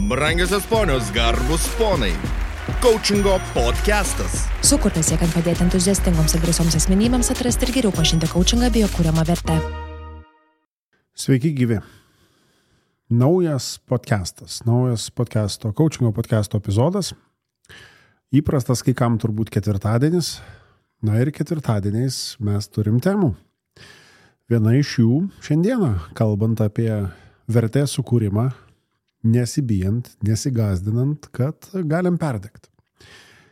Brangiosios ponios, garbus ponai. Coachingo podcastas. Sukurtas siekiant padėti entuziastingoms ir drąsioms asmenybėms atrasti ir geriau pažinti coachingą bei jo kuriamą vertę. Sveiki gyvi. Naujas podcasto, coachingo podcasto epizodas. Įprastas kai kam turbūt ketvirtadienis. Na ir ketvirtadieniais mes turim temų. Viena iš jų šiandieną, kalbant apie vertės sukūrimą, nesibijant, nesigazdinant, kad galim perdegti.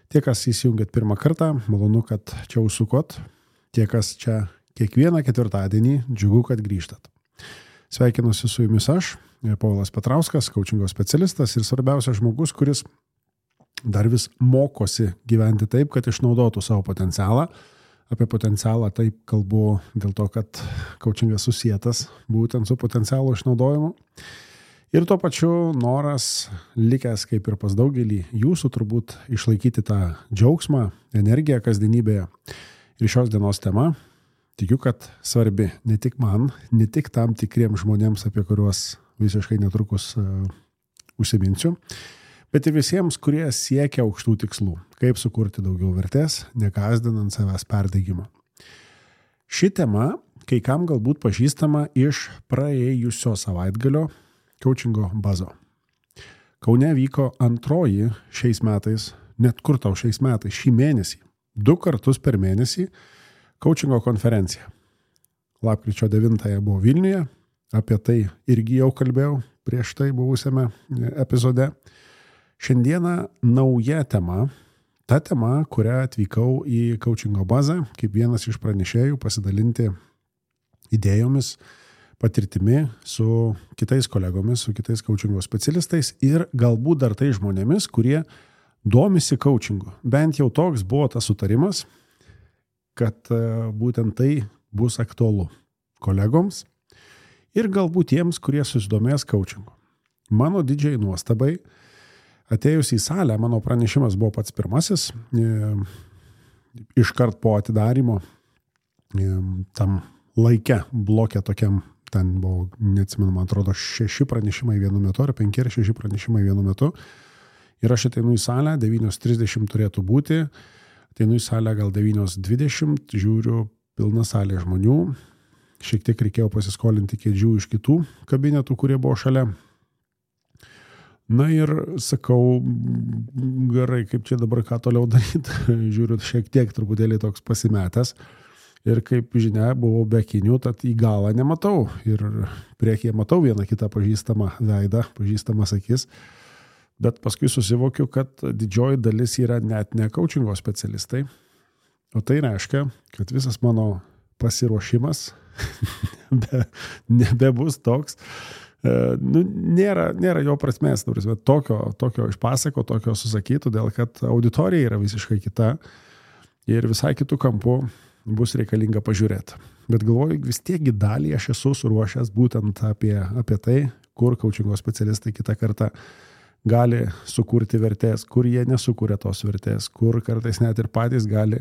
Tie, kas įsijungėt pirmą kartą, malonu, kad čia užsukot. Tie, kas čia kiekvieną ketvirtadienį, džiugu, kad grįžtat. Sveikinuosi su jumis aš, Povilas Petrauskas, coachingo specialistas ir svarbiausias žmogus, kuris dar vis mokosi gyventi taip, kad išnaudotų savo potencialą. Apie potencialą taip kalbu dėl to, kad coachingas susietas būtent su potencialo išnaudojimu. Ir tuo pačiu noras likęs kaip ir pas daugelį jūsų turbūt išlaikyti tą džiaugsmą, energiją kasdienybėje. Ir šios dienos tema, tikiu, kad svarbi ne tik man, ne tik tam tikriems žmonėms, apie kuriuos visiškai netrukus užsiminsiu, bet ir visiems, kurie siekia aukštų tikslų. Kaip sukurti daugiau vertės, nekazdinant savęs perdegimo. Ši tema kai kam galbūt pažįstama iš praėjusio savaitgalio coachingo bazo. Kaune vyko antroji šiais metais, net kur tau šiais metais, šį mėnesį, 2 kartus per mėnesį coachingo konferencija. Lapkričio 9 buvo Vilniuje, apie tai irgi jau kalbėjau prieš tai buvusiame epizode. Šiandieną nauja tema, ta tema, kurią atvykau į coachingo bazą, kaip vienas iš pranešėjų pasidalinti idėjomis, patirtimi su kitais kolegomis, su kitais coachingo specialistais ir galbūt dar tai žmonėmis, kurie domisi coachingu. Bent jau toks buvo tas sutarimas, kad būtent tai bus aktualu kolegoms ir galbūt tiems, kurie susidomės coachingu. Mano didžiai nuostabai, atėjus į salę, mano pranešimas buvo pats pirmasis, iškart po atidarymo, tam laike, bloke tokiam, ten buvo, neatsimenu, man atrodo, 6 pranešimai vienu metu, ar 5 ar 6 pranešimai vienu metu. Ir aš ateinu į salę, 9:30 turėtų būti, ateinu į salę gal 9:20, žiūriu, pilna salė žmonių, šiek tiek reikėjo pasiskolinti kėdžių iš kitų kabinetų, kurie buvo šalia. Na ir sakau, gerai, kaip čia dabar ką toliau daryti, žiūriu, šiek tiek truputėlį toks pasimetęs. Ir kaip žinia, buvau be akinių, tad į galą nematau. Ir priekyje matau vieną kitą pažįstamą veidą, pažįstamas akis. Bet paskui susivokiu, kad didžioji dalis yra net ne coachingo specialistai. O tai reiškia, kad visas mano pasiruošimas nebebus toks. Nėra jo prasmės, tokio išpasako, tokio susakytų, dėl kad auditorija yra visiškai kita ir visai kitų kampų bus reikalinga pažiūrėti. Bet galvoju, vis tiekgi dalį aš esu suruošęs būtent apie tai, kur coachingo specialistai kitą kartą gali sukurti vertės, kur jie nesukuria tos vertės, kur kartais net ir patys gali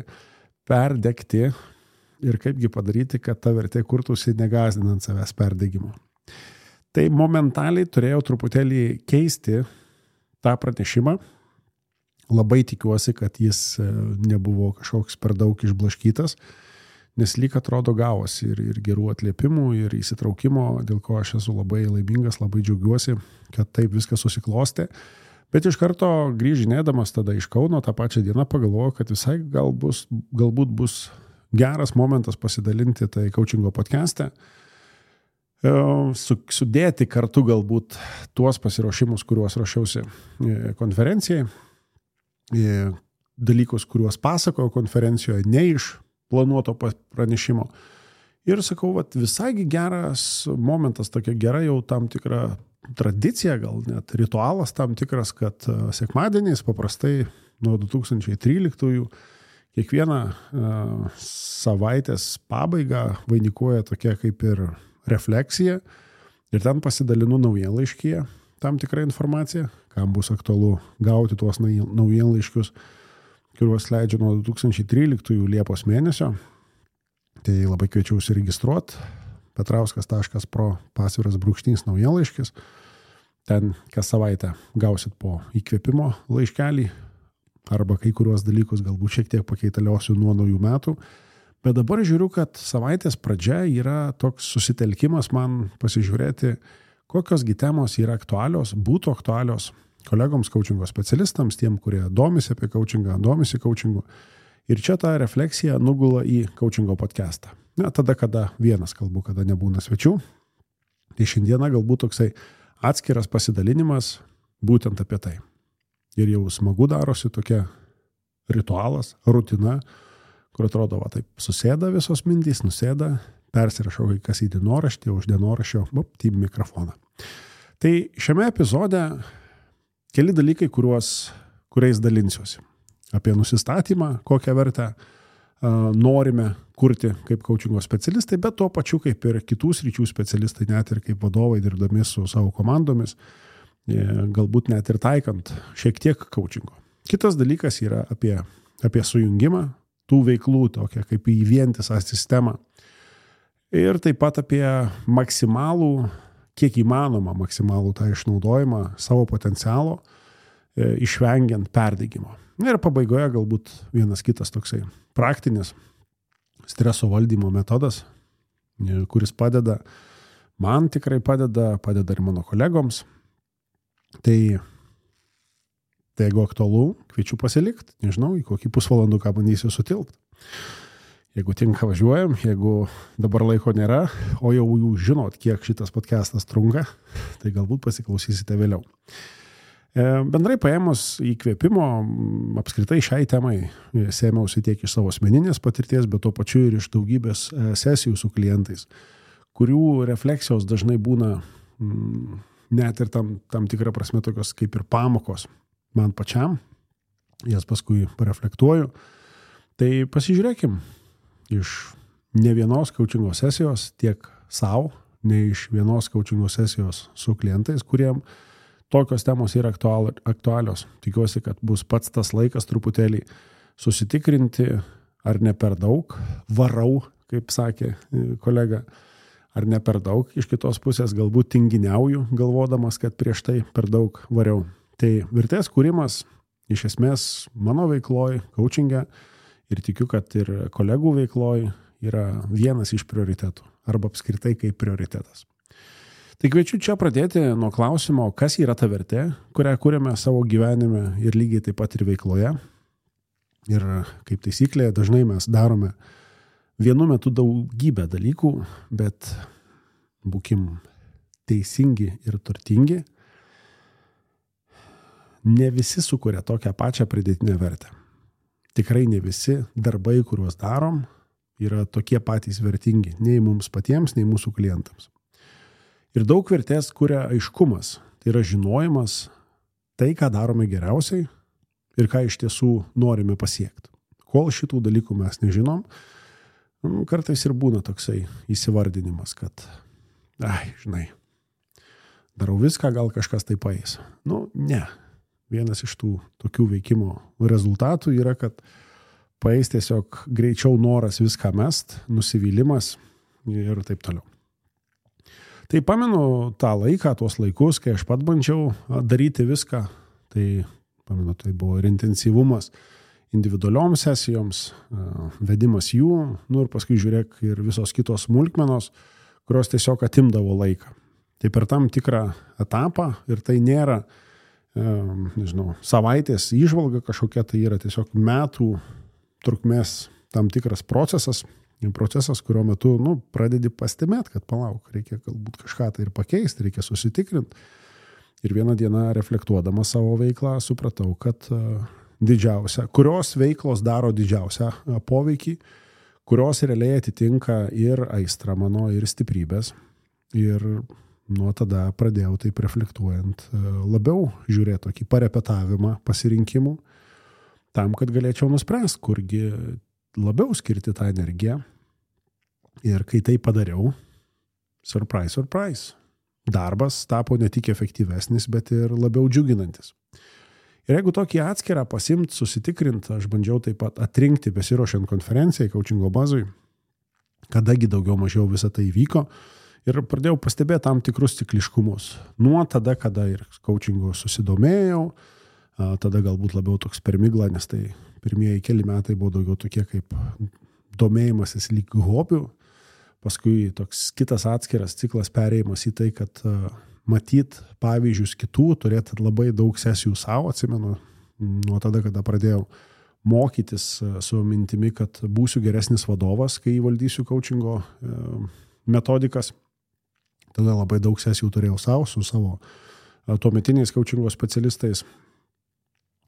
perdegti ir kaipgi padaryti, kad ta vertė kurtųsi negazdinant savęs perdegimo. Tai momentaliai turėjau truputėlį keisti tą pranešimą. Labai tikiuosi, kad jis nebuvo kažkoks per daug išblaškytas, nes lyg atrodo gavosi ir gerų atliepimų, ir įsitraukimo, dėl ko aš esu labai laimingas, labai džiaugiuosi, kad taip viskas susiklostė. Bet iš karto grįžinėdamas tada iš Kauno tą pačią dieną pagalvojau, kad visai galbūt bus geras momentas pasidalinti tai coachingo podcaste, sudėti kartu galbūt tuos pasiruošimus, kuriuos ruošiausi konferencijai, dalykus, kuriuos pasakojo konferencijoje, ne iš planuoto pranešimo. Ir sakau, visai geras momentas, tokia gera jau tam tikra tradicija, gal net ritualas tam tikras, kad sekmadieniais paprastai nuo 2013 kiekvieną savaitės pabaigą vainikuoja tokia kaip ir refleksija ir ten pasidalinu naujienlaiškyje tam tikrą informaciją, kam bus aktualu gauti tuos naujienlaiškius, kuriuos leidžiu nuo 2013 Liepos mėnesio. Tai labai kviečiau užsiregistruoti petrauskas.pro /naujienlaiškis. ten kas savaitę gausit po įkvėpimo laiškelį arba kai kuriuos dalykus galbūt šiek tiek pakeitaliosiu nuo naujų metų. Bet dabar žiūriu, kad savaitės pradžia yra toks susitelkimas man pasižiūrėti, kokios temos yra aktualios, būtų aktualios kolegoms coachingo specialistams, tiem, kurie domisi apie coachingą, domisi coachingu. Ir čia ta refleksija nugula į coachingo podcastą. Na, tada, kada vienas kalbu, kada nebūna svečių. Tai šiandieną galbūt toksai atskiras pasidalinimas būtent apie tai. Ir jau smagu darosi tokia ritualas, rutina, kur atrodo, va taip susėda visos mintys, nusėda, persirašau kai kas į dienoraštį, už dienoraščio, į mikrofoną. Tai šiame epizode keli dalykai, kuriais dalinsiuosi. Apie nusistatymą, kokią vertę norime kurti kaip coachingo specialistai, bet tuo pačiu kaip ir kitų sričių specialistai, net ir kaip vadovai dirbdami su savo komandomis, galbūt net ir taikant šiek tiek coachingo. Kitas dalykas yra apie sujungimą tų veiklų, tokia kaip į vientisą sistemą. Ir taip pat apie maksimalų, kiek įmanoma maksimalų tą išnaudojimą savo potencialo, išvengiant perdegimo. Ir pabaigoje galbūt vienas kitas toksai praktinis streso valdymo metodas, kuris padeda, man tikrai padeda ir mano kolegoms. Tai jeigu aktualu, kviečiu pasilikti, nežinau, į kokį pusvalanduką bandysiu sutilpti. Jeigu tinka, važiuojam, jeigu dabar laiko nėra, o jau jūs žinot, kiek šitas podcastas trunka, tai galbūt pasiklausysite vėliau. Bendrai paėmus įkvėpimo, apskritai šiai temai sėmiausi tiek iš savo asmeninės patirties, bet tuo pačiu ir iš daugybės sesijų su klientais, kurių refleksijos dažnai būna net ir tam tikrą prasme tokios kaip ir pamokos man pačiam, jas paskui pareflektuoju. Tai pasižiūrėkim iš ne vienos coachingo sesijos tiek savo, ne iš vienos coachingo sesijos su klientais, kuriem tokios temos yra aktualios. Tikiuosi, kad bus pats tas laikas truputėlį susitikrinti, ar ne per daug, varau, kaip sakė kolega, ar ne per daug, iš kitos pusės galbūt tinginiauju, galvodamas, kad prieš tai per daug variau. Tai vertės kūrimas iš esmės mano veikloj, coachinge ir tikiu, kad ir kolegų veikloj yra vienas iš prioritetų arba apskritai kaip prioritetas. Tai kviečiu čia pradėti nuo klausimo, kas yra ta vertė, kurią kūrėme savo gyvenime ir lygiai taip pat ir veikloje. Ir kaip taisyklė, dažnai mes darome vienu metu daugybę dalykų, bet būkim teisingi ir turtingi. Ne visi sukuria tokią pačią pridėtinę vertę. Tikrai ne visi darbai, kuriuos darom, yra tokie patys vertingi nei mums patiems, nei mūsų klientams. Ir daug vertės kuria aiškumas, tai yra žinojimas, tai, ką darome geriausiai ir ką iš tiesų norime pasiekti. Kol šitų dalykų mes nežinom, kartais ir būna toksai įsivardinimas, kad, žinai, darau viską, gal kažkas tai paeis. Ne. Vienas iš tų tokių veikimo rezultatų yra, kad paeis tiesiog greičiau noras viską mest, nusivylimas ir taip toliau. Tai pamenu tą laiką, tuos laikus, kai aš pat bandžiau daryti viską, tai pamenu, tai buvo ir intensyvumas individualioms sesijoms, vedimas jų, ir paskui žiūrėk ir visos kitos smulkmenos, kurios tiesiog atimdavo laiką. Tai per tam tikrą etapą ir tai nėra savaitės įžvalga kažkokia, tai yra tiesiog metų trukmės tam tikras procesas, kurio metu pradedi pastebėti, kad palauk, reikia galbūt kažką tai ir pakeisti, reikia susitikrinti. Ir vieną dieną reflektuodama savo veiklą supratau, kad kurios veiklos daro didžiausią poveikį, kurios realiai atitinka ir aistrą mano, ir stiprybės. Ir nuo tada pradėjau taip reflektuojant labiau žiūrėti tokį parepetavimą pasirinkimų, tam, kad galėčiau nuspręsti, kurgi labiau skirti tą energiją. Ir kai tai padariau, surprise, darbas tapo ne tik efektyvesnis, bet ir labiau džiuginantis. Ir jeigu tokį atskirą pasimt, susitikrint, aš bandžiau taip pat atrinkti besiruošiant konferencijai, coachingo bazui, kadagi daugiau mažiau visą tai vyko. Ir pradėjau pastebėti tam tikrus cikliškumus. Nuo tada, kada ir coachingu susidomėjau, tada galbūt labiau toks per miglą, nes tai pirmieji keli metai buvo daugiau tokie kaip domėjimasis lyg hobių. Paskui toks kitas atskiras ciklas perėjimas į tai, kad matyt pavyzdžius kitų, turėti labai daug sesijų savo, atsimenu, nuo tada, kada pradėjau mokytis su mintimi, kad būsiu geresnis vadovas, kai valdysiu coachingo metodikas. Tada labai daug sesijų turėjau savo, su savo tuometiniais coachingo specialistais.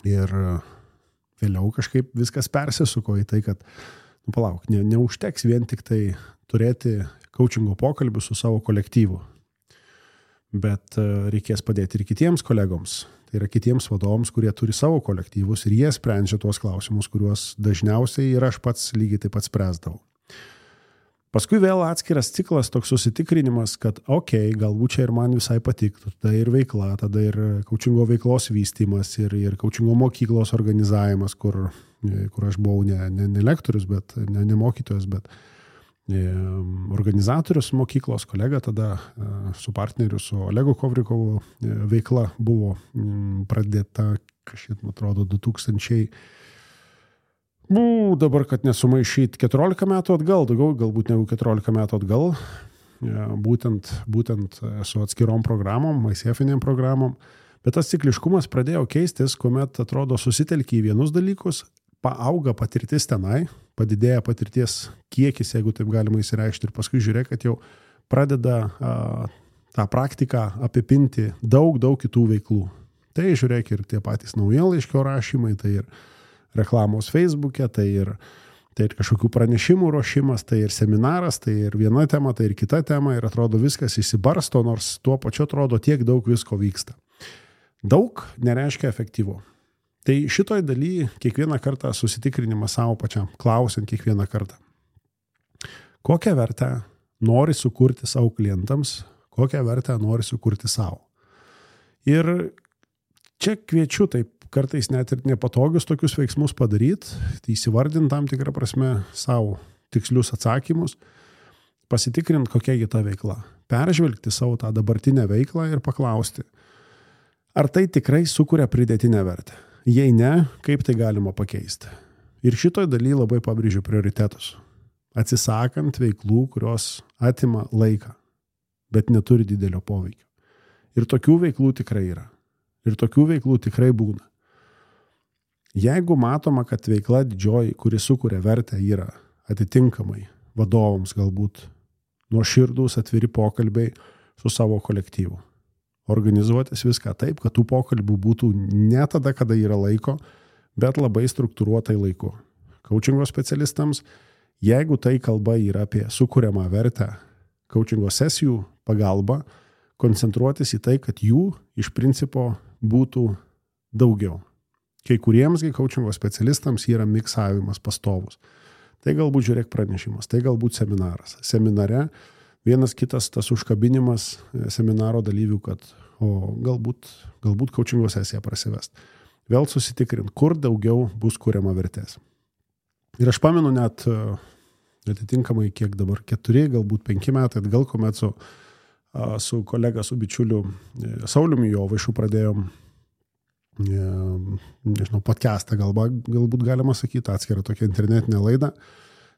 Ir vėliau kažkaip viskas persisuko į tai, kad, palauk, neužteks vien tik tai turėti coachingo pokalbių su savo kolektyvu. Bet reikės padėti ir kitiems kolegoms. Tai yra kitiems vadovams, kurie turi savo kolektyvus ir jie sprendžia tuos klausimus, kuriuos dažniausiai ir aš pats lygiai taip pat spręsdavau. Paskui vėl atskiras ciklas, toks susitikrinimas, kad galbūt čia ir man visai patiktų. Tada ir veikla, tada ir coachingo veiklos vystymas ir coachingo mokyklos organizavimas, kur aš buvau ne lektorius, bet ne mokytojas, bet organizatorius mokyklos, kolega tada su partneriu, su Olegu Kovrikovu veikla buvo pradėta, kažkaip, atrodo, 2000, dabar, kad nesumaišyt, 14 metų atgal, daugiau galbūt negu 14 metų atgal, būtent su atskirom programom, ICF-inėm programom, bet tas cikliškumas pradėjo keistis, kuomet, atrodo, susitelkia į vienus dalykus, paauga patirtis tenai, padidėja patirties kiekis, jeigu taip galima įsireikšti, ir paskui žiūrėk, kad jau pradeda tą praktiką apipinti daug kitų veiklų. Tai žiūrėk ir tie patys naujienlaiškio rašymai, tai ir reklamos Facebook'e, tai ir kažkokių pranešimų ruošimas, tai ir seminaras, tai ir viena tema, tai ir kita tema, ir atrodo viskas įsibarsto, nors tuo pačiu atrodo tiek daug visko vyksta. Daug nereiškia efektyvu. Tai šitoj daly kiekvieną kartą susitikrinimas savo pačiam, klausiant kiekvieną kartą. Kokią vertę nori sukurti savo klientams, kokią vertę nori sukurti savo. Ir čia kviečiu taip kartais net ir nepatogius tokius veiksmus padaryti, tai įsivardinti tam tikrą prasme savo tikslius atsakymus, pasitikrinti kokia ta veikla, peržvelgti savo tą dabartinę veiklą ir paklausti, ar tai tikrai sukuria pridėtinę vertę. Jei ne, kaip tai galima pakeisti. Ir šitoj daly labai pabrėžiu prioritetus. Atsisakant veiklų, kurios atima laiką, bet neturi didelio poveikio. Ir tokių veiklų tikrai yra. Ir tokių veiklų tikrai būna. Jeigu matoma, kad veikla didžioji, kuri sukuria vertę, yra atitinkamai vadovams galbūt nuoširdūs atviri pokalbiai su savo kolektyvu. Organizuotis viską taip, kad tų pokalbių būtų ne tada, kada yra laiko, bet labai struktūruotai laiku. Coachingo specialistams, jeigu tai kalba yra apie sukuriamą vertę, coachingo sesijų pagalba, koncentruotis į tai, kad jų iš principo būtų daugiau. Kai kuriems coachingo specialistams yra miksavimas pastovus. Tai galbūt žiūrėk pranešimas, tai galbūt seminaras. Seminare vienas kitas tas užkabinimas seminaro dalyvių, kad galbūt coachingo sesiją prasivest. Vėl susitikrint, kur daugiau bus kuriama vertės. Ir aš pamenu net atitinkamai kiek dabar 4, galbūt 5 metai atgal, kuomet su kolega, su bičiuliu Sauliumi Jovaišu pradėjom podcastą, galbūt galima sakyti, atskirą tokią internetinę laidą.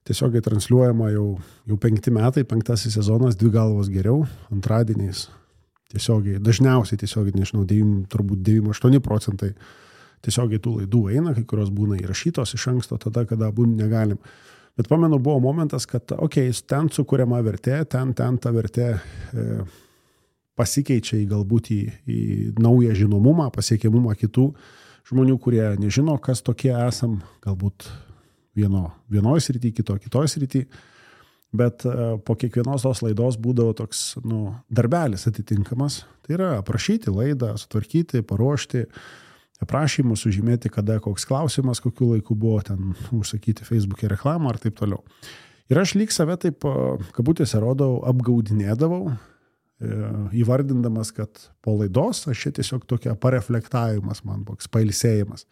Tiesiogiai transliuojama jau 5 metai, 5 sezonas, 2 galvos geriau, antradieniais tiesiogiai, dažniausiai tiesiogiai, nežinau, turbūt 98% tiesiogiai tų laidų eina, kai kurios būna įrašytos iš anksto, tada, kada būtų negalim. Bet pamenu, buvo momentas, kad ten sukuriama vertė, ten ta vertė pasikeičia galbūt į naują žinomumą, pasiekiamumą kitų žmonių, kurie nežino, kas tokie esam, galbūt vienoje srityje, kitoje srityje, bet po kiekvienos tos laidos būdavo toks darbelis atitinkamas. Tai yra aprašyti laidą, sutvarkyti, paruošti, aprašymus, sužymėti, kada koks klausimas, kokiu laiku buvo, ten užsakyti Facebook'e reklamą ar taip toliau. Ir aš lyg save taip, kabutėse rodau, apgaudinėdavau, įvardindamas, kad po laidos aš čia tiesiog tokia pareflektavimas man, toks pailsėjimas.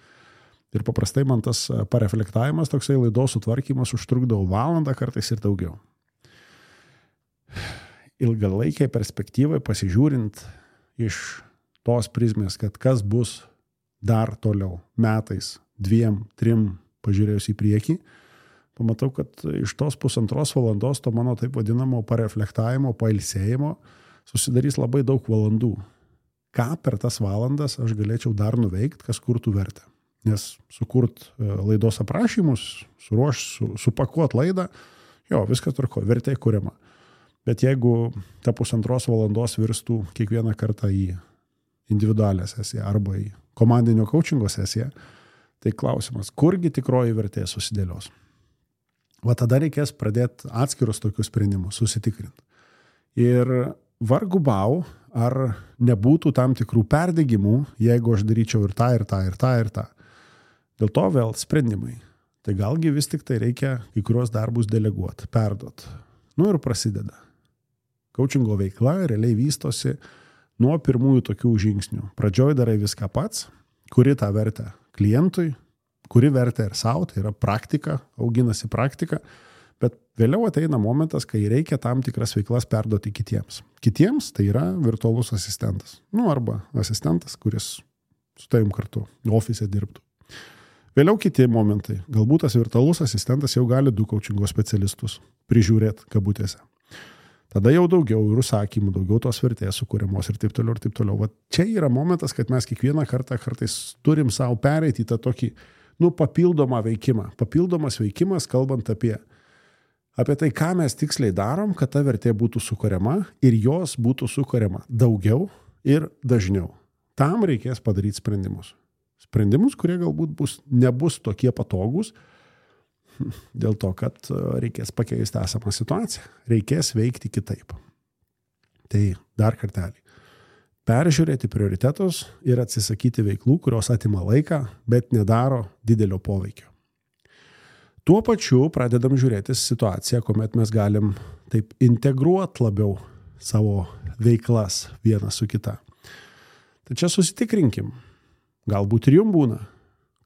Ir paprastai man tas pareflektavimas, toksai laidos sutvarkymas užtrukdavo valandą, kartais ir daugiau. ilgalaikiai perspektyvai pasižiūrint iš tos prizmės, kad kas bus dar toliau metais, 2, 3 pažiūrėjus į priekį, pamatau, kad iš tos 1,5 valandos to mano taip vadinamo pareflektavimo, pailsėjimo susidarys labai daug valandų. Ką per tas valandas aš galėčiau dar nuveikti, kas kurtų vertę. Nes sukurt laidos aprašymus, supakuot laidą, jo, viskas tvarko, vertė kuriama. Bet jeigu ta 1,5 valandos virstų kiekvieną kartą į individualią sesiją arba į komandinio coachingo sesiją, tai klausimas, kurgi tikroji vertė susidėlios. Va tada reikės pradėti atskirus tokius sprendimus, susitikrinti. Ir vargu bau, ar nebūtų tam tikrų perdegimų, jeigu aš daryčiau ir tą, ir tą, ir tą, ir tą. Dėl to vėl sprendimai. Tai galgi vis tik tai reikia kai kurios darbus deleguoti, perduoti. Ir prasideda. Coachingo veikla realiai vystosi nuo pirmųjų tokių žingsnių. Pradžioj darai viską pats, kuri tą vertę klientui, kuri vertę ir savo, tai yra praktika, auginasi praktika, bet vėliau ateina momentas, kai reikia tam tikras veiklas perduoti kitiems. Kitiems tai yra virtualus asistentas. Arba asistentas, kuris su tavim kartu ofise dirbtų. Vėliau kiti momentai. Galbūt tas virtualus asistentas jau gali 2 coachingo specialistus prižiūrėti kabutėse. Tada jau daugiau ir užsakymų, daugiau tos vertės sukūriamos ir taip toliau, ir taip toliau. Va, čia yra momentas, kad mes kiekvieną kartą kartais turim savo pereiti į tą tokį, papildomą veikimą. Papildomas veikimas, kalbant apie tai, ką mes tiksliai darom, kad ta vertė būtų sukuriama ir jos būtų sukuriama daugiau ir dažniau. Tam reikės padaryti sprendimus. Sprendimus, kurie galbūt nebus tokie patogūs, dėl to, kad reikės pakeisti esamą situaciją. Reikės veikti kitaip. Tai dar kartelį. Peržiūrėti prioritetus ir atsisakyti veiklų, kurios atima laiką, bet nedaro didelio poveikio. Tuo pačiu pradedam žiūrėti situaciją, kuomet mes galim taip integruoti labiau savo veiklas vieną su kita. Tai čia susitikrinkim. Galbūt ir jums būna.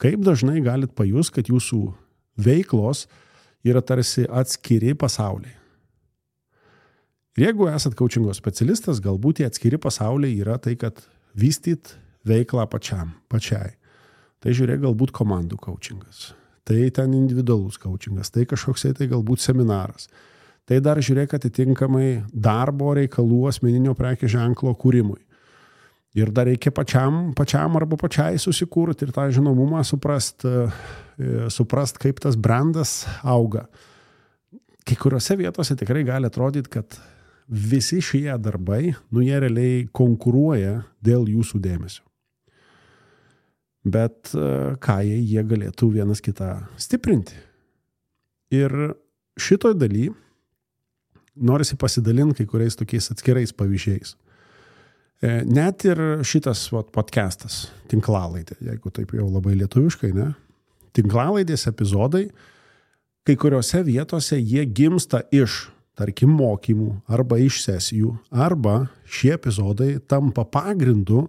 Kaip dažnai galit pajust, kad jūsų veiklos yra tarsi atskiri pasauliai. Ir jeigu esat coachingo specialistas, galbūt tie atskiri pasauliai yra tai, kad vystyt veiklą pačiai. Tai žiūrėk, galbūt komandų coachingas. Tai ten individualus coachingas. Tai kažkoksai tai galbūt seminaras. Tai dar žiūrėk atitinkamai darbo reikalų asmeninio prekės ženklo kūrimui. Ir dar reikia pačiam arba pačiai susikurti ir tą žinomumą suprast, kaip tas brandas auga. Kai kuriuose vietose tikrai gali atrodyti, kad visi šie darbai, jie realiai konkuruoja dėl jūsų dėmesio. Bet ką jie galėtų vienas kitą stiprinti. Ir šitoj daly norisi pasidalinti kai kuriais tokiais atskirais pavyzdžiais. Net ir šitas podcastas, tinklalaidė, jeigu taip jau labai lietuviškai, ne? Tinklalaidės epizodai, kai kuriuose vietose jie gimsta iš, tarkim, mokymų arba iš sesijų, arba šie epizodai tampa pagrindu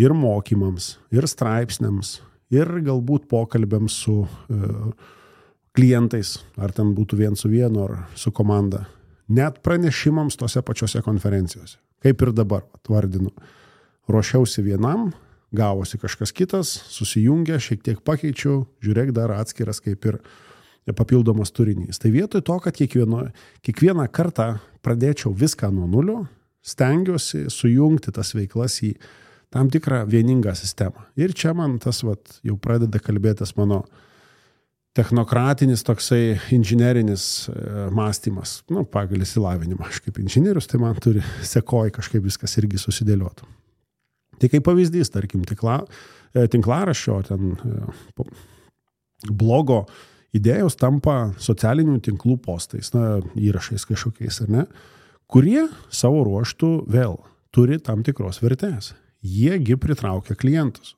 ir mokymams, ir straipsniams, ir galbūt pokalbiams su klientais, ar ten būtų 1-1 ar su komanda, net pranešimams tose pačiose konferencijose. Kaip ir dabar, vardinu. Ruošiausi vienam, gavosi kažkas kitas, susijungė, šiek tiek pakeičiau, žiūrėk dar atskiras kaip ir papildomas turinys. Tai vietoj to, kad kiekvieną kartą pradėčiau viską nuo nulio, stengiuosi sujungti tas veiklas į tam tikrą vieningą sistemą. Ir čia man tas jau pradeda kalbėtis mano technokratinis toksai inžinerinis mąstymas, pagal išsilavinimą. Aš kaip inžinierius, tai man turi sekoj kažkaip viskas irgi susidėlioti. Tai kaip pavyzdys, tarkim, tinklaraščio, ten blogo idėjos tampa socialinių tinklų postais, įrašais kažkokiais, ar ne, kurie savo ruoštų vėl turi tam tikros vertės. Jiegi pritraukia klientus.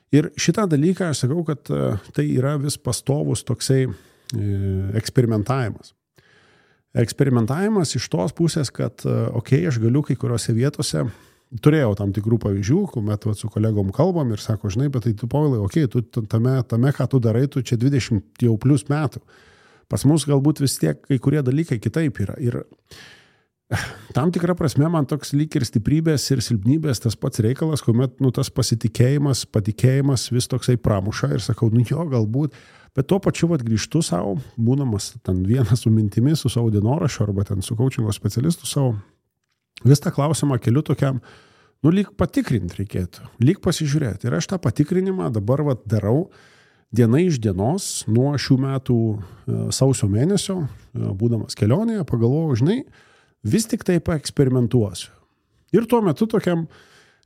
Ir šitą dalyką aš sakau, kad tai yra vis pastovus toksai eksperimentavimas. Eksperimentavimas iš tos pusės, kad aš galiu kai kuriuose vietose, turėjau tam tikrų pavyzdžių, kuomet su kolegom kalbam ir sako, žinai, bet tai tu, Povilai, tu tame, ką tu darai, tu čia 20 jau plus metų. Pas mus galbūt vis tiek kai kurie dalykai kitaip yra. Ir tam tikra prasme man toks lyg ir stiprybės ir silpnybės tas pats reikalas, kuomet tas pasitikėjimas, patikėjimas vis toksai pramuša ir sakau, jo, galbūt, bet tuo pačiu grįžtu savo, būdamas ten vienas su mintimis, su savo dienoraščiu arba ten su coachingo specialistu savo, vis tą klausimą keliu tokiam, lyg patikrinti reikėtų, lyg pasižiūrėti. Ir aš tą patikrinimą dabar darau diena iš dienos nuo šių metų sausio mėnesio, būdamas kelionėje, pagalvojau, žinai, vis tik tai paeksperimentuosiu. Ir tuo metu tokiam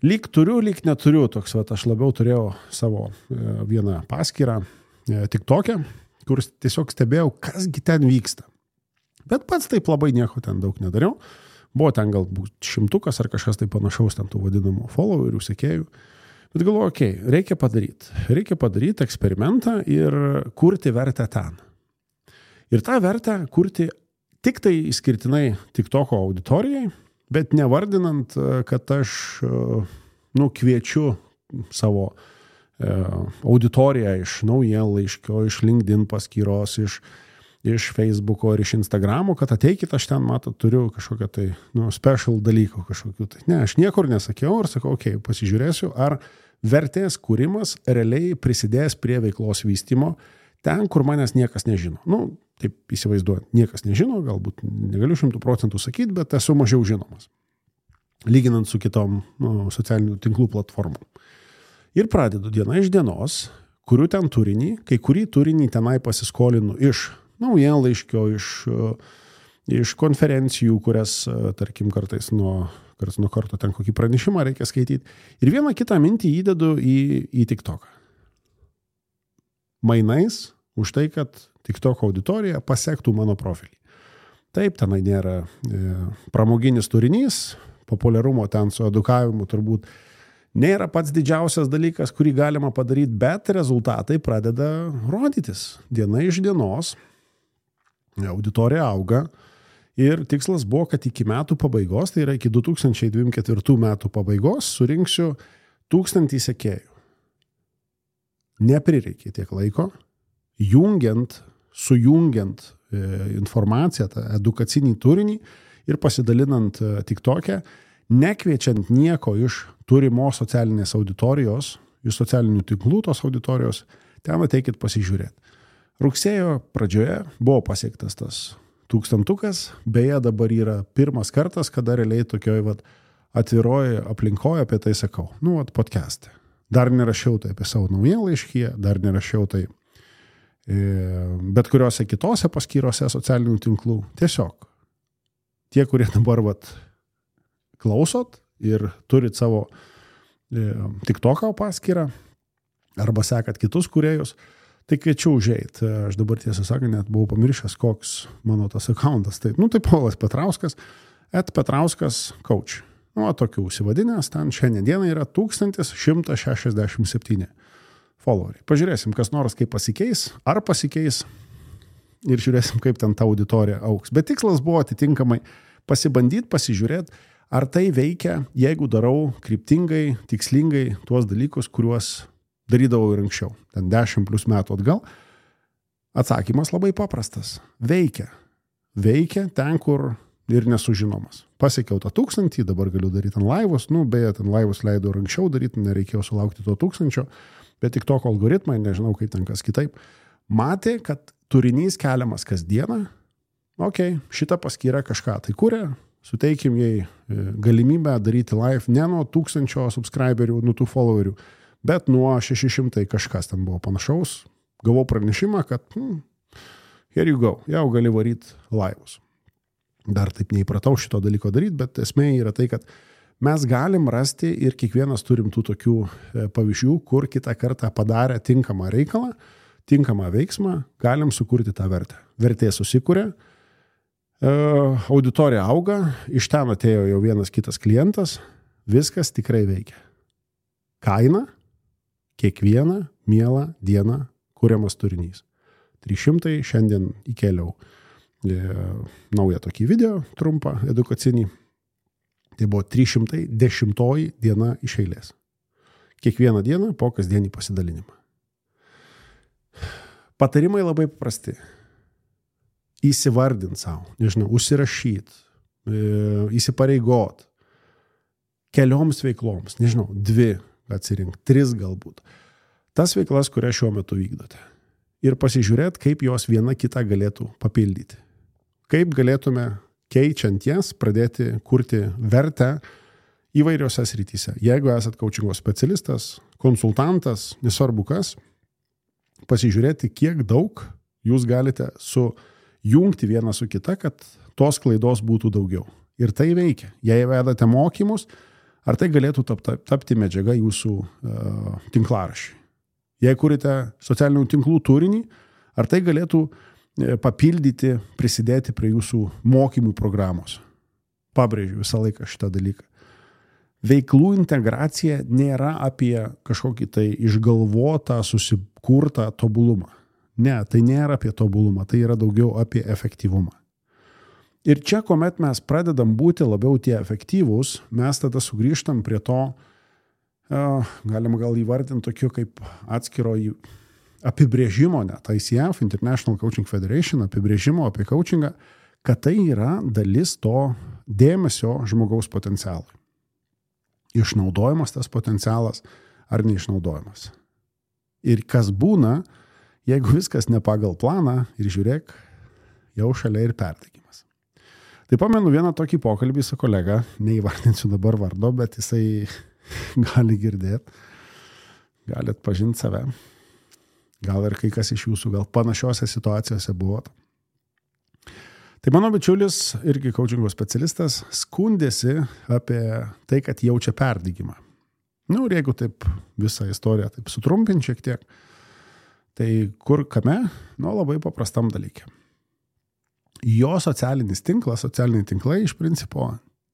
lyg turiu, lyg neturiu, toks, aš labiau turėjau savo vieną paskyrą TikTok'e, kur tiesiog stebėjau, kasgi ten vyksta. Bet pats taip labai nieko ten daug nedariau. Buvo ten galbūt 100 ar kažkas tai panašaus ten tų vadinamų followerių, sekėjų. Bet galvoju, reikia padaryti eksperimentą ir kurti vertę ten. Ir tą vertę kurti tik tai išskirtinai TikToko auditorijai, bet nevardinant, kad aš kviečiu savo auditoriją iš naujienlaiškio, iš LinkedIn paskyros, iš Facebooko ir iš Instagramo, kad ateikit, aš ten, turiu kažkokią tai special dalykų kažkokių. Tai. Ne, aš niekur nesakiau ir sakau, pasižiūrėsiu, ar vertės kūrimas realiai prisidės prie veiklos vystymo ten, kur manęs niekas nežino. Taip įsivaizduoju, niekas nežino, galbūt negaliu 100% sakyti, bet esu mažiau žinomas, lyginant su kitom socialinių tinklų platformom. Ir pradedu diena iš dienos, kuriu ten turinį, kai kurį turinį tenai pasiskolinu iš naujienlaiškio, iš konferencijų, kurias, tarkim, kartais nuo karto ten kokį pranešimą reikia skaityti. Ir vieną kitą mintį įdedu į TikToką. Mainais už tai, kad TikTok auditorija pasektų mano profilį. Taip, tenai nėra pramoginis turinys, populiarumo ten su edukavimu turbūt nėra pats didžiausias dalykas, kurį galima padaryti, bet rezultatai pradeda rodytis. Diena iš dienos auditorija auga ir tikslas buvo, kad iki metų pabaigos, tai yra iki 2024 metų pabaigos, surinksiu 1000 sekėjų. Neprireikė tiek laiko, sujungiant informaciją, tą edukacinį turinį ir pasidalinant TikTok'e, nekviečiant nieko iš turimos socialinės auditorijos, iš socialinių tinklų tos auditorijos, ten ateikit pasižiūrėti. Rugsėjo pradžioje buvo pasiektas tas 1000, beje dabar yra pirmas kartas, kada realiai tokioj atviroje aplinkoje apie tai sakau. Podcast'e. Dar nerašiau tai apie savo naujienlaiškyje, dar nerašiau tai bet kuriuose kitose paskyrose socialinių tinklų. Tiesiog tie, kurie dabar klausot ir turit savo TikToko paskyrą arba sekat kitus kūrėjus, tai kviečiu užeit. Aš dabar tiesą sakant, net buvau pamiršęs, koks mano tas accountas. Tai Paulas Petrauskas, @Petrauskas coach. Tokių užsivadinęs, ten šiandien dieną yra 1167 followeriai. Pažiūrėsim, kas nors kaip pasikeis, ar pasikeis ir žiūrėsim, kaip ten ta auditorija augs. Bet tikslas buvo atitinkamai pasibandyti, pasižiūrėti, ar tai veikia, jeigu darau kryptingai, tikslingai tuos dalykus, kuriuos darydavau ir anksčiau. Ten 10+ metų atgal. Atsakymas labai paprastas. Veikia. Veikia ten, kur ir nesužinomas. Pasiekiau tą 1000, dabar galiu daryti ant laivus, beje, ten laivus leidau ir anksčiau daryti, nereikėjo sulaukti to 1000, bet tik toko algoritmai, nežinau kaip ten kas kitaip, matė, kad turinys keliamas kasdieną, šitą paskyrą kažką tai kuria, suteikim jai galimybę daryti live ne nuo 1000 subscriberių, nuo tų followerių, bet nuo 600 kažkas ten buvo panašaus, gavau pranešimą, kad here you go, jau gali varyti laivus. Dar taip neįpratau šito dalyko daryti, bet esmė yra tai, kad mes galim rasti ir kiekvienas turim tų tokių pavyzdžių, kur kitą kartą padarę tinkamą reikalą, tinkamą veiksmą, galim sukurti tą vertę. Vertė susikuria, auditorija auga, iš ten atėjo jau vienas kitas klientas, viskas tikrai veikia. Kaina, kiekvieną mielą dieną kuriamas turinys. 300, šiandien įkėliau naują tokį video, trumpą, edukacinį. Tai buvo 310 diena iš eilės. Kiekvieną dieną po kasdienį pasidalinimą. Patarimai labai paprasti. Įsivardint savo, užsirašyti, įsipareigot kelioms veikloms, nežinau, 2 atsirink, 3 galbūt. Tas veiklas, kurias šiuo metu vykdote. Ir pasižiūrėt, kaip jos viena kitą galėtų papildyti. Kaip galėtume, keičiant jas, pradėti kurti vertę įvairiose srityse. Jeigu esat coachingo specialistas, konsultantas, nesvarbu kas, pasižiūrėti, kiek daug jūs galite sujungti vieną su kita, kad tos klaidos būtų daugiau. Ir tai veikia. Jei vedate mokymus, ar tai galėtų tapti medžiaga jūsų tinklaraščiui. Jei kurite socialinių tinklų turinį, ar tai galėtų papildyti, prisidėti prie jūsų mokymų programos. Pabrėžiu visą laiką šitą dalyką. Veiklų integracija nėra apie kažkokį tai išgalvotą, susikurtą tobulumą. Ne, tai nėra apie tobulumą, tai yra daugiau apie efektyvumą. Ir čia, kuomet mes pradedam būti labiau tie efektyvūs, mes tada sugrįžtam prie to, galima gal įvardinti tokiu kaip atskiro apibrėžimo, net ICF, International Coaching Federation, apibrėžimo apie coachingą, kad tai yra dalis to dėmesio žmogaus potencialui. Išnaudojimas tas potencialas ar neišnaudojimas. Ir kas būna, jeigu viskas ne pagal planą ir žiūrėk, jau šalia ir perdegimas. Tai pamenu vieną tokį pokalbį su kolega, neįvardinsiu dabar vardo, bet jisai gali girdėti, gali atpažinti save. Gal ir kai kas iš jūsų, gal panašiose situacijose buvot. Tai mano bičiulis, irgi coachingo specialistas, skundėsi apie tai, kad jaučia perdegimą. Ir jeigu taip visą istoriją taip sutrumpint šiek tiek, tai kur kame? Labai paprastam dalykė. Jo socialiniai tinklai iš principo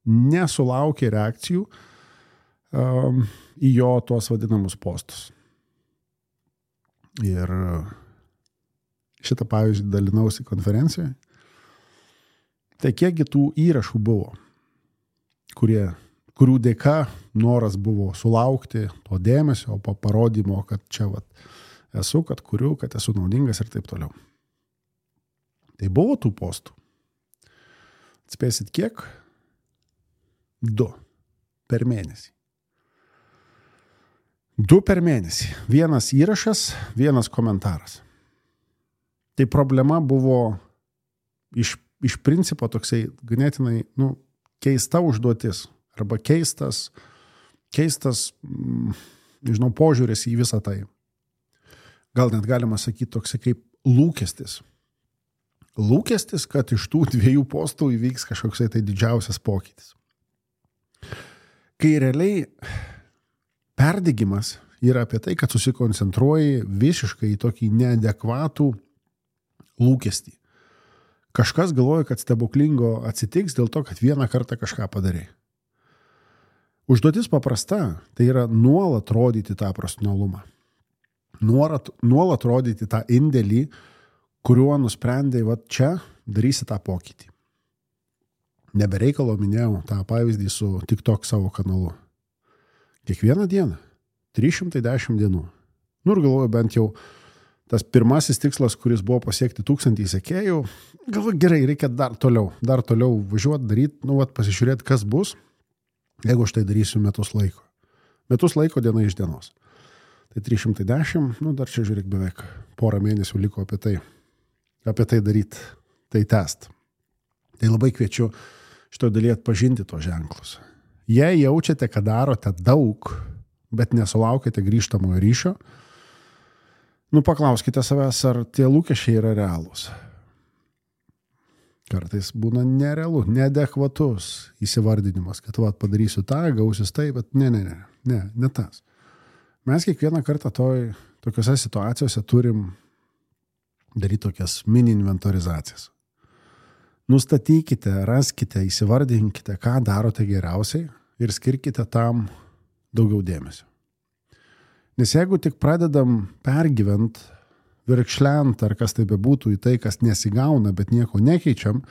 nesulaukė reakcijų į jo tuos vadinamus postus. Ir šitą pavyzdį dalinausi konferencijoje. Tai kiekgi tų įrašų buvo, kurių dėka noras buvo sulaukti to dėmesio, parodymo, kad čia esu, kad kuriu, kad esu naudingas ir taip toliau. Tai buvo tų postų. Atspėsit kiek? 2 per mėnesį. 2 per mėnesį. 1 įrašas, 1 komentaras. Tai problema buvo iš principo toksai ganėtinai keista užduotis arba keistas nežinau, požiūris į visą tai. Gal net galima sakyti toksai kaip lūkestis. Lūkestis, kad iš tų 2 postų įvyks kažkoksai tai didžiausias pokytis. Kai realiai perdegimas yra apie tai, kad susikoncentruoji visiškai į tokį neadekvatų lūkestį. Kažkas galvoja, kad stebuklingo atsitiks dėl to, kad vieną kartą kažką padarė. Užduotis paprasta, tai yra nuolat rodyti tą profesionalumą. Nuolat rodyti tą indėlį, kuriuo nusprendai, čia darysi tą pokytį. Nebereikalo minėjau tą pavyzdį su TikTok savo kanalu. Kiekvieną dieną, 310 dienų. Ir galvoju, bent jau tas pirmasis tikslas, kuris buvo pasiekti 1000 sekėjų, galvoju, gerai, reikia dar toliau važiuoti, daryti, pasižiūrėti, kas bus, jeigu aš tai darysiu metus laiko. Metus laiko diena iš dienos. Tai 310, dar čia žiūrėk beveik porą mėnesių liko apie tai daryti, tai tęst. Tai labai kviečiu šitoje dalyje atpažinti tos ženklus. Jei jaučiate, kad darote daug, bet nesulaukite grįžtamojo ryšio, paklauskite savęs, ar tie lūkesčiai yra realūs. Kartais būna nerealu, neadekvatus įsivardinimas, kad padarysiu tą, gausis tai, bet ne tas. Mes kiekvieną kartą tokiose situacijose turim daryti tokias mini inventorizacijas. Nustatykite, raskite, įsivardinkite, ką darote geriausiai ir skirkite tam daugiau dėmesio. Nes jeigu tik pradedam pergyvent, virkšlent ar kas tai bebūtų į tai, kas nesigauna, bet nieko nekeičiam,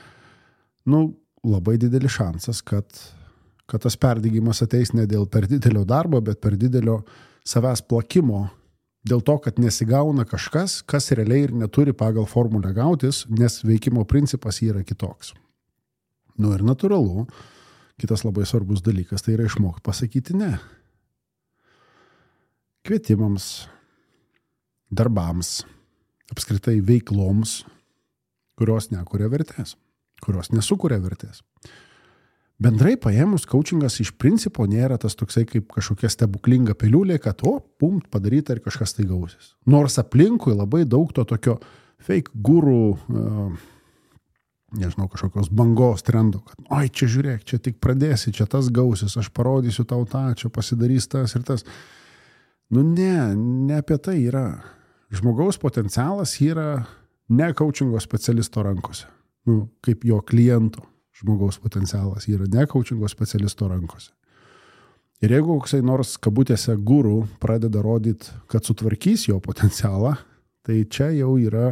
labai didelis šansas, kad tas perdegimas ateis ne dėl per didelio darbo, bet per didelio savęs plakimo, dėl to, kad nesigauna kažkas, kas realiai ir neturi pagal formulę gautis, nes veikimo principas yra kitoks. Nu ir natūralu, kitas labai svarbus dalykas tai yra išmokti pasakyti ne. Kvietimams, darbams, apskritai veikloms, kurios nekuria vertės, kurios nesukuria vertės. Bendrai paėmus, coachingas iš principo nėra tas toksai kaip kažkokia stebuklinga piliulė, kad padaryta ir kažkas tai gausis. Nors aplinkui labai daug to tokio fake gurų, nežinau, kažkokios bangos trendo, kad oi, čia žiūrėk, čia tik pradėsi, čia tas gausis, aš parodysiu tau tą, čia pasidarys tas ir tas. Nu ne apie tai yra. Žmogaus potencialas yra ne coachingo specialisto rankose. Nu, kaip jo kliento žmogaus potencialas yra ne coachingo specialisto rankose. Ir jeigu koksai nors kabutėse guru pradeda rodyti, kad sutvarkys jo potencialą, tai čia jau yra,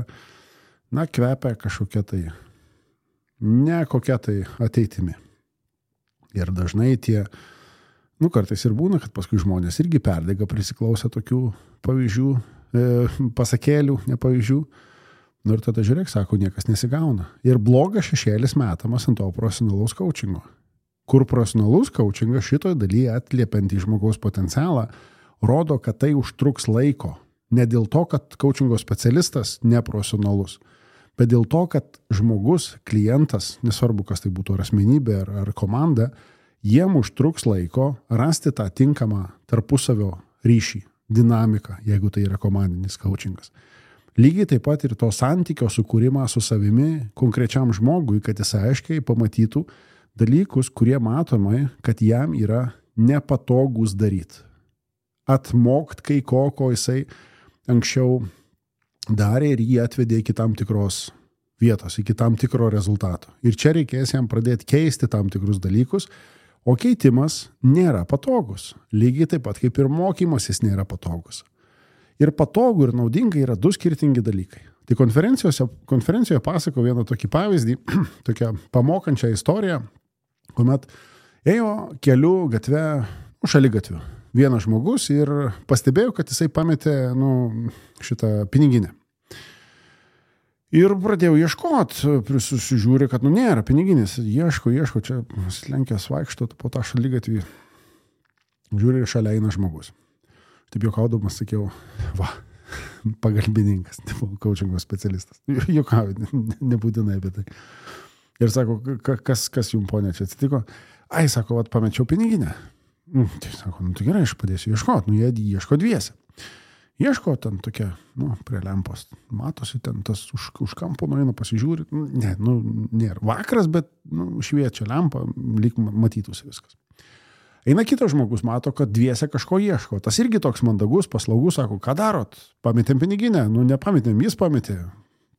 kvepia kažkokia tai, ne kokia tai ateitimi. Ir dažnai tie, kartais ir būna, kad paskui žmonės irgi perdega prisiklausę tokių pavyzdžių, pasakėlių, ne pavyzdžių. Ir tada žiūrėk, sako, niekas nesigauna. Ir blogas šešėlis metamas ant to profesionalaus coachingo. Kur profesionalus coachingas šitoj dalyje atliepiant į žmogaus potencialą, rodo, kad tai užtruks laiko. Ne dėl to, kad coachingo specialistas neprofesionalus, bet dėl to, kad žmogus, klientas, nesvarbu, kas tai būtų ar asmenybė, ar komanda, jiem užtruks laiko rasti tą tinkamą tarpusavio ryšį, dinamiką, jeigu tai yra komandinis coachingas. Lygiai taip pat ir to santykio sukūrimą su savimi konkrečiam žmogui, kad jis aiškiai pamatytų dalykus, kurie matomai, kad jam yra nepatogus daryti. Atmokt kai ko jisai anksčiau darė ir jį atvedė iki tam tikros vietos, iki tam tikro rezultato. Ir čia reikės jam pradėti keisti tam tikrus dalykus, o keitimas nėra patogus. Lygiai taip pat kaip ir mokymasis nėra patogus. Ir patogų ir naudinga yra du skirtingi dalykai. Tai konferencijoje pasakau vieną tokį pavyzdį, tokią pamokančią istoriją, kuomet ėjo keliu gatve, šaligatviu, vienas žmogus ir pastebėjo, kad jisai pametė šitą piniginę. Ir pradėjau ieškoti, susižiūrė, kad nėra piniginės, ieško, čia slenkęs vaikšto po tą šaligatvį, žiūrė ir šalia eina žmogus. Taip juokaudamas sakiau, pagalbininkas, coachingo specialistas. Juokauju, nebūtinai apie tai. Ir sako, kas jums, ponė, čia atsitiko? Ai, sako, pamečiau piniginę. Tai sako, tai gerai, aš padėsiu ieškoti. Jie ieško dviese. Ieško ten tokia, prie lempos. Matosi ten tas už kampo nueina pasižiūri. Nėra vakaras, bet šviečia lempa, lyg matytųsi viskas. Eina kitas žmogus, mato, kad dviese kažko ieško. Tas irgi toks mandagus, paslaugus, sako, ką darot? Pametėm piniginę? Nepametėm, jis pametė.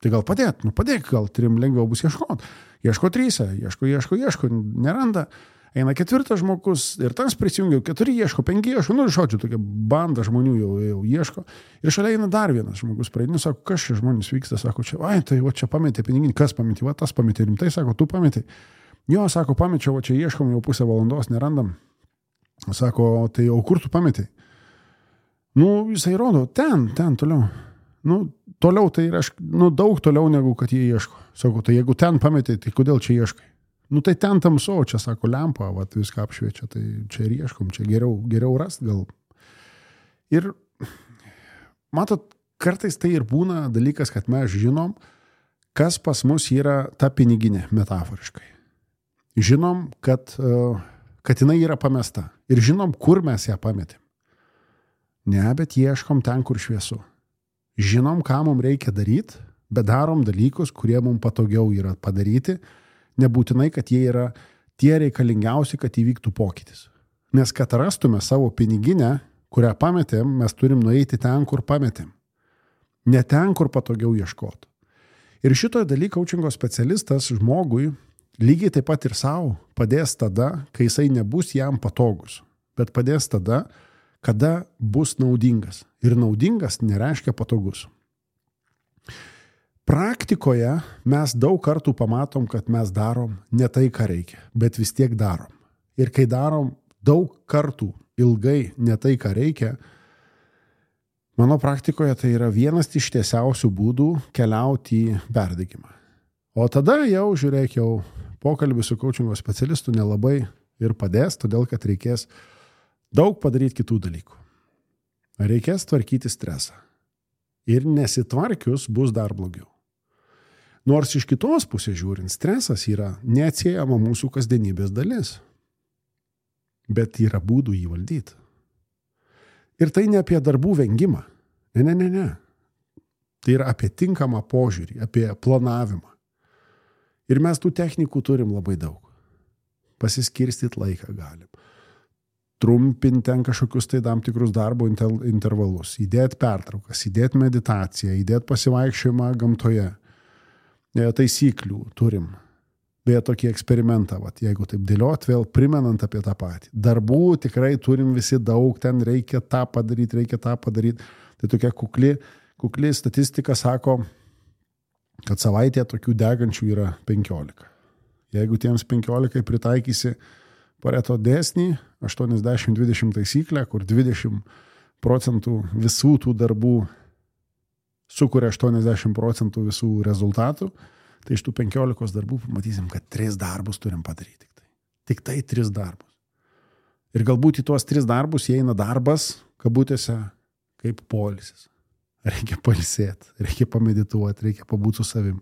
Tai gal padėt? Padėk, gal trim lengviau bus ieškoti. Ieško tryse, ieško, neranda. Eina ketvirtas žmogus ir tas prisijungia, 4 ieško, 5 ieško, žodžiu, tokia banda žmonių jau ieško. Ir šalia eina dar vienas žmogus, praeinu, sako, kas čia žmonės vyksta, sako, tai čia pametė piniginį, kas pametė, tas pametė, rimtai, sako, tu pametė. Jo, sako, pamečiau, čia ieškom, jau pusę valandos nerandam. Sako, tai o kur tu pametė? Jisai rodo, ten toliau. Toliau tai yra, daug toliau negu kad jie ieško. Sako, tai jeigu ten pametė, tai kodėl čia ieškai? Tai ten tamsu, čia sako lempa, viską apšviečia, tai čia ir ieškom, čia geriau rast gal. Ir matot, kartais tai ir būna dalykas, kad mes žinom, kas pas mus yra ta piniginė, metaforiškai. Žinom, kad jinai yra pamesta. Ir žinom, kur mes ją pametėm. Ne, bet ieškom ten, kur šviesu. Žinom, ką mums reikia daryti, bet darom dalykus, kurie mums patogiau yra padaryti, nebūtinai, kad jie yra tie reikalingiausi, kad įvyktų pokytis. Nes kad rastume savo piniginę, kurią pametėm, mes turim nueiti ten, kur pametėm. Ne ten, kur patogiau ieškoti. Ir šitoje dalyje coachingo specialistas žmogui lygiai taip pat ir savo padės tada, kai jisai nebus jam patogus, bet padės tada, kada bus naudingas. Ir naudingas nereiškia patogus. Praktikoje mes daug kartų pamatom, kad mes darom ne tai, ką reikia, bet vis tiek darom. Ir kai darom daug kartų ilgai ne tai, ką reikia, mano praktikoje tai yra vienas iš tiesiausių būdų keliauti į perdegimą. O tada jau, žiūrėk, jau pokalbis su coachingo specialistu nelabai ir padės, todėl kad reikės daug padaryti kitų dalykų. Reikės tvarkyti stresą. Ir nesitvarkius bus dar blogiau. Nors iš kitos pusės žiūrint, stresas yra neatsiejama mūsų kasdienybės dalis. Bet yra būdų jį valdyti. Ir tai ne apie darbų vengimą. Ne. Tai yra apie tinkamą požiūrį, apie planavimą. Ir mes tų technikų turim labai daug. Pasiskirstyti laiką galim. Trumpinti ten kažkokius tai tam tikrus darbo intervalus. Įdėti pertraukas, įdėti meditaciją, įdėti pasivaikščiojimą gamtoje. Taisyklių turim. Beje, tokį eksperimentą, jeigu taip dėliot, vėl primenant apie tą patį. Darbų tikrai turim visi daug, ten reikia tą padaryti. Tai tokia kukli statistika sako, kad savaitėje tokių degančių yra 15. Jeigu tiems 15 pritaikysi Pareto dėsnį, 80-20 taisyklę, kur 20% visų tų darbų sukuria 80% visų rezultatų, tai iš tų 15 darbų pamatysim, kad 3 darbus turim padaryti. Tik tai 3 darbus. Ir galbūt į tuos 3 darbus įeina darbas, kabutėse, kaip poilsis. Reikia pailsėti, reikia pamedituoti, reikia pabūti su savim.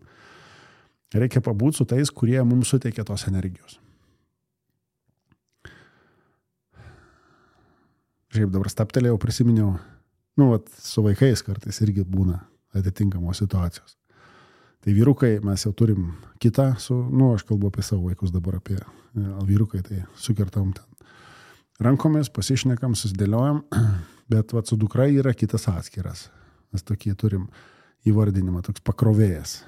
Reikia pabūti su tais, kurie mums suteikia tos energijos. Šiaip dabar staptelėjau, prisiminiau, su vaikais kartais irgi būna atitinkamos situacijos. Tai vyrukai, mes jau turim kitą, aš kalbu apie savo vaikus dabar, apie vyrukai, tai sukertam ten rankomis, pasišnekam, susidėliojam, bet su dukra yra kitas atskiras. Mes tokie turim įvardinimą, toks pakrovėjas.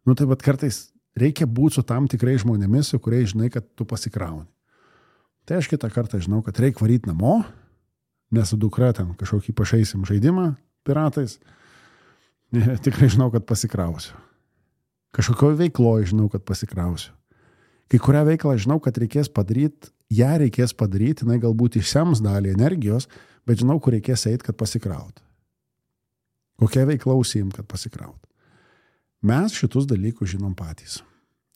Tai kartais reikia būti su tam tikrai žmonėmis, su kuriais žinai, kad tu pasikrauni. Tai aš kitą kartą žinau, kad reikia varyti namo, nes su dukra ten kažkokį pašaisim žaidimą piratais. Tikrai žinau, kad pasikrausiu. Kažkokio veikloje žinau, kad pasikrausiu. Kai kurią veiklą žinau, kad reikės padaryti, jinai galbūt išsems dalį energijos, bet žinau, kur reikės eiti, kad pasikrauti. Kokia veikla užsiimt, kad pasikrauti. Mes šitus dalykus žinom patys.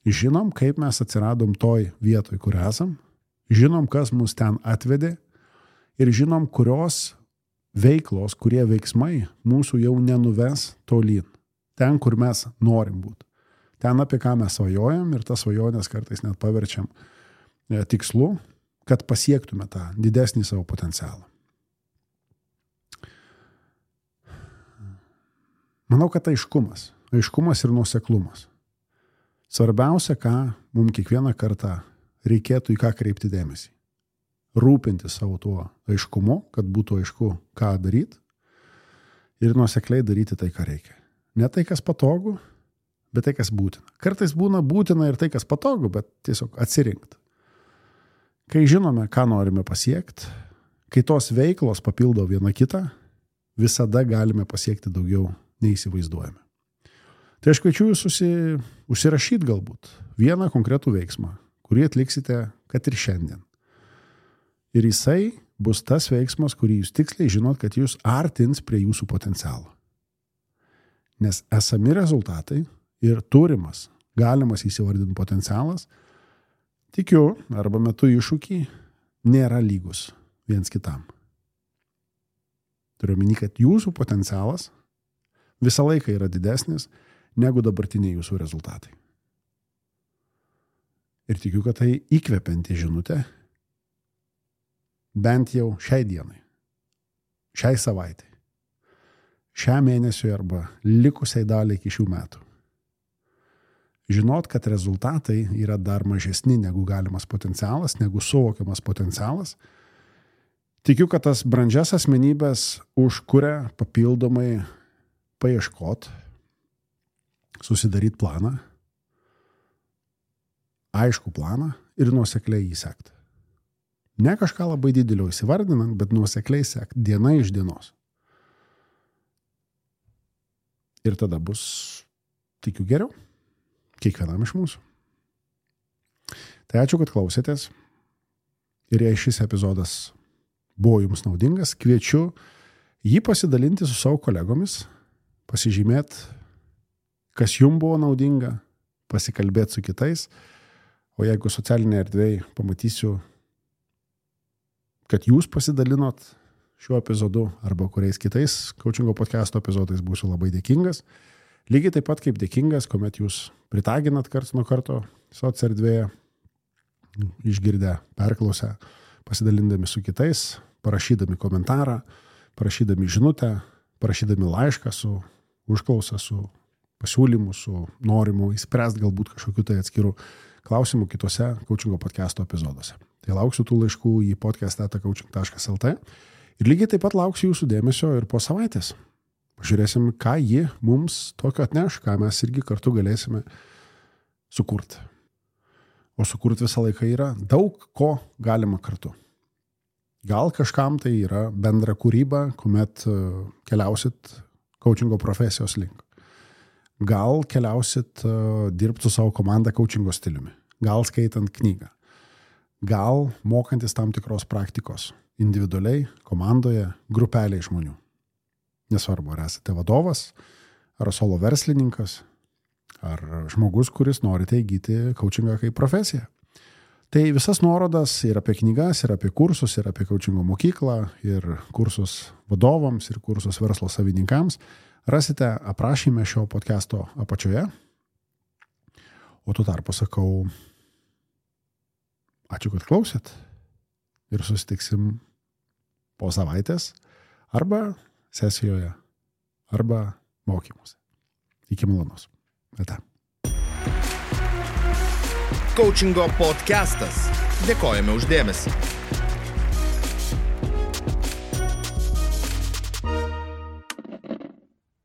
Žinom, kaip mes atsiradom toj vietoj, kur esam, žinom, kas mus ten atvedė ir žinom, kurios veiklos, kurie veiksmai mūsų jau nenuves tolyn. Ten, kur mes norim būti. Ten, apie ką mes svajojam ir tas svajonės kartais net paverčiam tikslu, kad pasiektume tą didesnį savo potencialą. Manau, kad aiškumas ir nuoseklumas. Svarbiausia, ką mums kiekvieną kartą reikėtų į ką kreipti dėmesį. Rūpinti savo tuo aiškumu, kad būtų aišku, ką daryti ir nuosekliai daryti tai, ką reikia. Ne tai, kas patogu, bet tai, kas būtina. Kartais būna būtina ir tai, kas patogu, bet tiesiog atsirinkti. Kai žinome, ką norime pasiekti, kai tos veiklos papildo vieną kitą, visada galime pasiekti daugiau nei įsivaizduojame. Tai aš kviečiu jūs užsirašyti galbūt vieną konkretų veiksmą, kurį atliksite, kad ir šiandien. Ir jisai bus tas veiksmas, kurį jūs tiksliai žinot, kad jūs artins prie jūsų potencialo. Nes esami rezultatai ir turimas, galimas įsivardinti potencialas, tikiu, arba metu iššūkį, nėra lygus viens kitam. Turiu omeny, kad jūsų potencialas visą laiką yra didesnis negu dabartiniai jūsų rezultatai. Ir tikiu, kad tai įkvepianti žinutė bent jau šiai dienai, šiai savaitai, šiam mėnesiui arba likusiai daliai iki šių metų. Žinot, kad rezultatai yra dar mažesni negu galimas potencialas, negu suvokiamas potencialas. Tikiu, kad tas brandžias asmenybės užkuria papildomai paieškot, susidaryt planą, aišku planą ir nuosekliai jį sekti. Ne kažką labai didelio įsivardinant, bet nuosekliai sekti diena iš dienos. Ir tada bus, tikiu, geriau kiekvienam iš mūsų. Tai ačiū, kad klausėtės. Ir jei šis epizodas buvo jums naudingas, kviečiu jį pasidalinti su savo kolegomis, pasižymėti, kas jums buvo naudinga, pasikalbėti su kitais, O jeigu socialinėje erdvėje pamatysiu, kad jūs pasidalinot šiuo epizodu arba kuriais kitais coachingo podcast'o epizodais, būsiu labai dėkingas. Lygiai taip pat kaip dėkingas, kuomet jūs pritaginat karts nuo karto soc erdvėje, išgirdę, perklausę, pasidalindami su kitais, parašydami komentarą, parašydami žinutę, parašydami laišką su užklausa, su pasiūlymu, su norimu įspręsti galbūt kažkokiu tai atskirų klausimų kitose coachingo podcast'o epizoduose. Tai lauksiu tų laiškų į podcast@coaching.lt ir lygiai taip pat lauksiu jūsų dėmesio ir po savaitės. Pažiūrėsim, ką ji mums tokio atneš, ką mes irgi kartu galėsime sukurti. O sukurti visą laiką yra daug ko galima kartu. Gal kažkam tai yra bendra kūryba, kuomet keliausit coachingo profesijos link. Gal keliausit dirbti su savo komanda coachingo stiliumi. Gal skaitant knygą. Gal mokantis tam tikros praktikos. Individualiai, komandoje, grupeliai žmonių. Nesvarbu, ar esate vadovas, ar solo verslininkas, ar žmogus, kuris norite įgyti coachingą kaip profesiją. Tai visas nuorodas ir apie knygas, ir apie kursus, ir apie coachingo mokyklą, ir kursus vadovams, ir kursus verslo savininkams rasite aprašyme šio podcast'o apačioje. O tuo tarpu sakau, ačiū, kad klausėt ir susitiksim po savaitės arba sesijoje, arba mokymuose. Iki malonaus. Ate. Coachingo podcastas. Dėkojame už dėmesį.